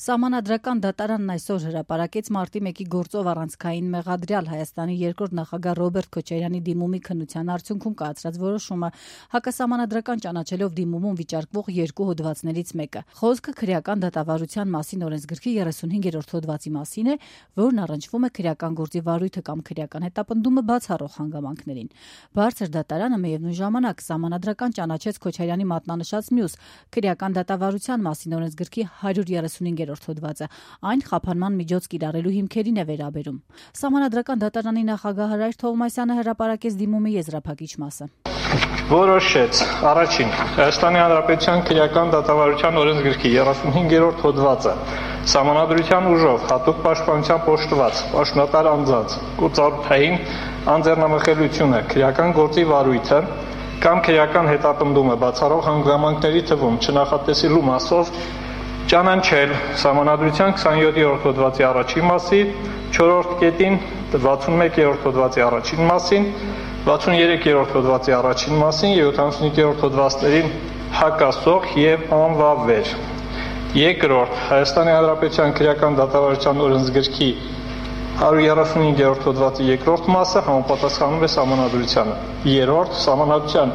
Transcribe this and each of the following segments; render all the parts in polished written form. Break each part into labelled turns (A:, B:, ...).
A: Սահմանադրական դատարանն այսօր հրապարակեց մարտի 1-ի գործով առանցքային մեղադրյալ Հայաստանի երկրորդ նախագահ Ռոբերտ Քոչարյանի դիմումի քննության արդյունքում կայացրած որոշումը, հակասահմանադրական ճանաչելով դիմումում վիճարկվող երկու հոդվածներից մեկը։ Խոսքը քրեական դատավարության մասին օրենսգրքի 35-րդ հոդվածի մասին է, որն առնչվում է քրեական գործի վարույթը կամ քրեական հետապնդումը բացառող հանգամանքներին։ Բարձր դատարանը միևնույն ժամանակ սահմանադրական ճանաչեց Քոչարյանի մատնանշած մյուս քրեական դատավարության մասին օրենսգրքի 135-րդ հոդվածը, այն խափանման միջոց կիրառելու հիմքերին է վերաբերում։ Սահմանադրական դատարանի նախագահ Հրայր Թովմասյանը հրապարակեց դիմումի եզրափակիչ մասը։
B: Որոշեց առաջին Հայաստանի Հանրապետության քրեական դատավարության օրենսգրքի 35-րդ հոդվածը սահմանադրության ուժով հատուկ պաշտպանության պաշտված պաշտոնատար անձանց կուրծարութային անձեռնամխելիությունը, քրեական գործի վարույթը կամ քրեական հետապնդումը բացառող հանգամանքների թվում չնախատեսելու մասով ճանաչել սահմանադրության 27-րդ հոդվածի առաջին մասի, 4-րդ կետին 61-րդ հոդվածի առաջին մասին, 63-րդ հոդվածի առաջին մասին եւ 75-րդ հոդվածներին հակասող եւ անվավեր։ Երկրորդ Հայաստանի Հանրապետության քրեական դատավարության օրենսգրքի 135-րդ հոդվածի երկրորդ մասը համապատասխանում է սահմանադրությանը։ Երրորդ Սահմանադրության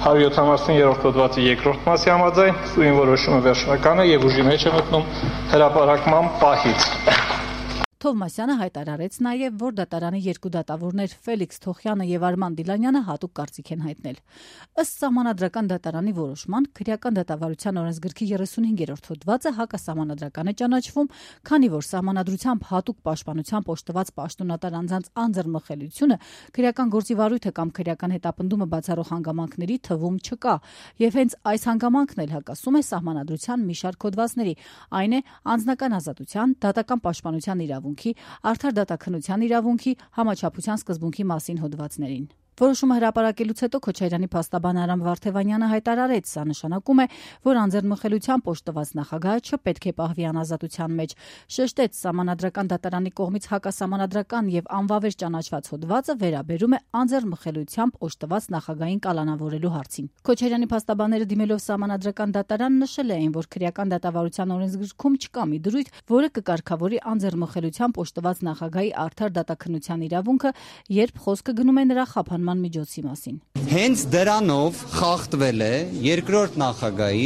B: 170-րդ հոդվածի երկրորդ մասի համաձայն սույն որոշումը վերջնական է եւ ուժի մեջ է մտնում հրապարակման պահից։
A: Թովմասյանը հայտարարեց նաև, որ դատարանի երկու դատավորներ Ֆելիքս Թոխյանը եւ Արման Դիլանյանը հատուկ կարծիք են հայտնել։ Ըստ սահմանադրական դատարանի որոշման, քրեական դատավարության օրենսգրքի 35-րդ հոդվածը հակասահմանադրական է ճանաչվում, քանի որ սահմանադրությամբ հատուկ պաշտպանությամբ օժտված պաշտոնատար անձանց անձեռնմխելիությունը քրեական գործի վարույթը կամ քրեական հետապնդումը բացառող հանգամանքների թվում չկա, եւ հենց այս հանգամանքն էլ հակասում է սահմանադրության մի շարք հոդվածների, այն է անձնական ազատության, դատական պաշտպանության իրավունքի, արդար դատաքննության իրավունքի, համաչափության սկզբունքի մասին հոդվածներին։ Որոշումը հրապարակելուց հետո Քոչարյանի փաստաբան Արամ Վարդևանյանը հայտարարեց, սա նշանակում է, որ անձեռնմխելիությամբ օժտված նախագահը չպետք է պահվի անազատության մեջ, շեշտեց սահմանադրական դատարանի կողմից հակասահմանադրական եւ անվավեր ճանաչված հոդվածը վերաբերում է անձեռնմխելիությամբ օժտված նախագահին կալանավորելու հարցին։ Քոչարյանի փաստաբանները դիմելով սահմանադրական դատարան նշել էին, որ քրեական դատավարության օրենսգրքում չկա մի դրույթ, որը կկարգավորի անձեռնմխելիությամբ օժտված նախագահի արդար դատաքննության իրավունքը, երբ խոսքը գնում է նրա խափանման միջոցի մասին։
C: Հենց դրանով խախտվել է երկրորդ նախագահի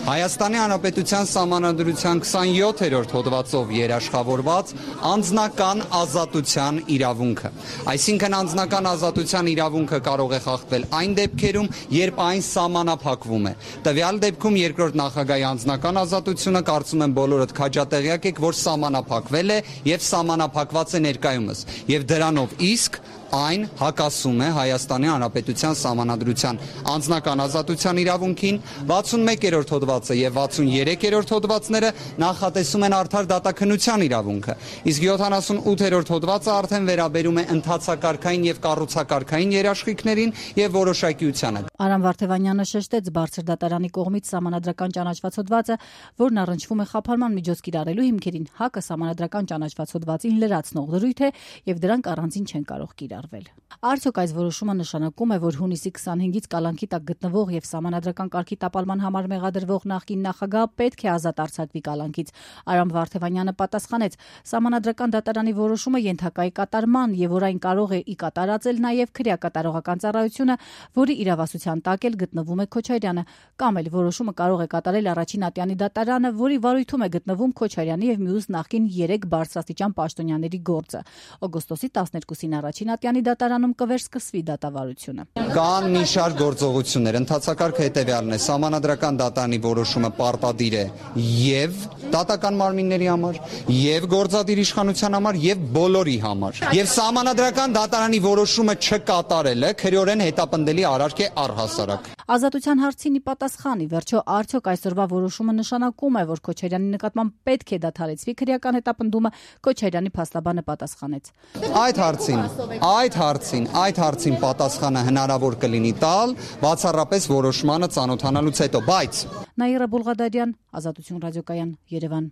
C: Հայաստանի Հանրապետության Սահմանադրության 27-րդ հոդվածով երաշխավորված անձնական ազատության իրավունքը։ Այսինքն անձնական ազատության իրավունքը կարող է խախտվել այն դեպքերում, երբ այն սահմանափակվում է։ Տվյալ դեպքում երկրորդ նախագահի անձնական ազատությունը կարծում եմ բոլորդ քաջատեղյակ եք, որ սահմանափակվել է եւ սահմանափակված է ներկայումս։ Եվ դրանով իսկ այն հակասում է Հայաստանի Հանրապետության Սահմանադրության անձնական ազատության իրավունքին, 61-րդ հոդվածը եւ 63-րդ հոդվածները նախատեսում են արդար դատաքննության իրավունքը, իսկ 78-րդ հոդվածը արդեն վերաբերում է ընթացակարգային եւ կառուցակարգային երաշխիքներին եւ որոշակիությանը։
A: Արամ Վարդևանյանը շեշտեց բարձր դատարանի կողմից սահմանադրական ճանաչված հոդվածը, որն առնչվում է խափանման միջոց կիրառելու հիմքերին, հակասահմանադրական ճանաչված հոդվածին լրացնող դրույթ է եւ դրանք առանձին չեն կարող կիրառվել։ Արդյոք այս որոշումը նշանակում է, որ հունիսի 25-ից կալանքի տակ գտնվող եւ սահմանադրական կարգի տապալման համար մեղադրվող նախկին նախագահը պետք է ազատ արձակվի կալանքից։ Արամ Վարդևանյանը պատասխանեց. սահմանադրական դատարանի որոշումը ենթակա է կատարման եւ որ այն կարող է ի կատարածել նաեւ քրեակատարողական ծառայությունը, որի իրավասության տակ էլ գտնվում է Քոչարյանը, կամ էլ որոշումը կարող է կատարել առաջին ատյանի դատարանը, որի վարույթում է գտնվում Քոչարյանի եւ մյուս նախկին 3 բարձրաստիճան պաշտոնյաների գործը։ Օգոստոսի 12-ին առաջին ատյանի դատարանում կվերսկսվի դատավարությունը։
C: Կան մի շարք գործողություններ, ընթացակարգը հետևյալն է, սահմանադրական դատարանի որոշումը պարտադիր է եւ դատական մարմինների համար, եւ գործադիր իշխանության համար, եւ բոլորի համար։ Եվ սահմանադրական դատարանի որոշումը չկատարելը քրեորեն հետապնդելի արարք է առհասարակ։
A: Ազատության հարցին ի պատասխան, ի վերջո արդյոք այսօրվա որոշումը նշանակում է, որ Քոչարյանի նկատմամբ պետք է դադարեցվի քրեական հետապնդումը, Քոչարյանի փաստաբանը պատասխանեց։
C: Այդ հարցին պատասխանը հնարավոր կլինի տալ բացառապես որոշմանը ծանոթանալուց հետո, բայց
A: Նաիրա Բուլղադարյան, Ազատություն ռադիոկայան, Երևան։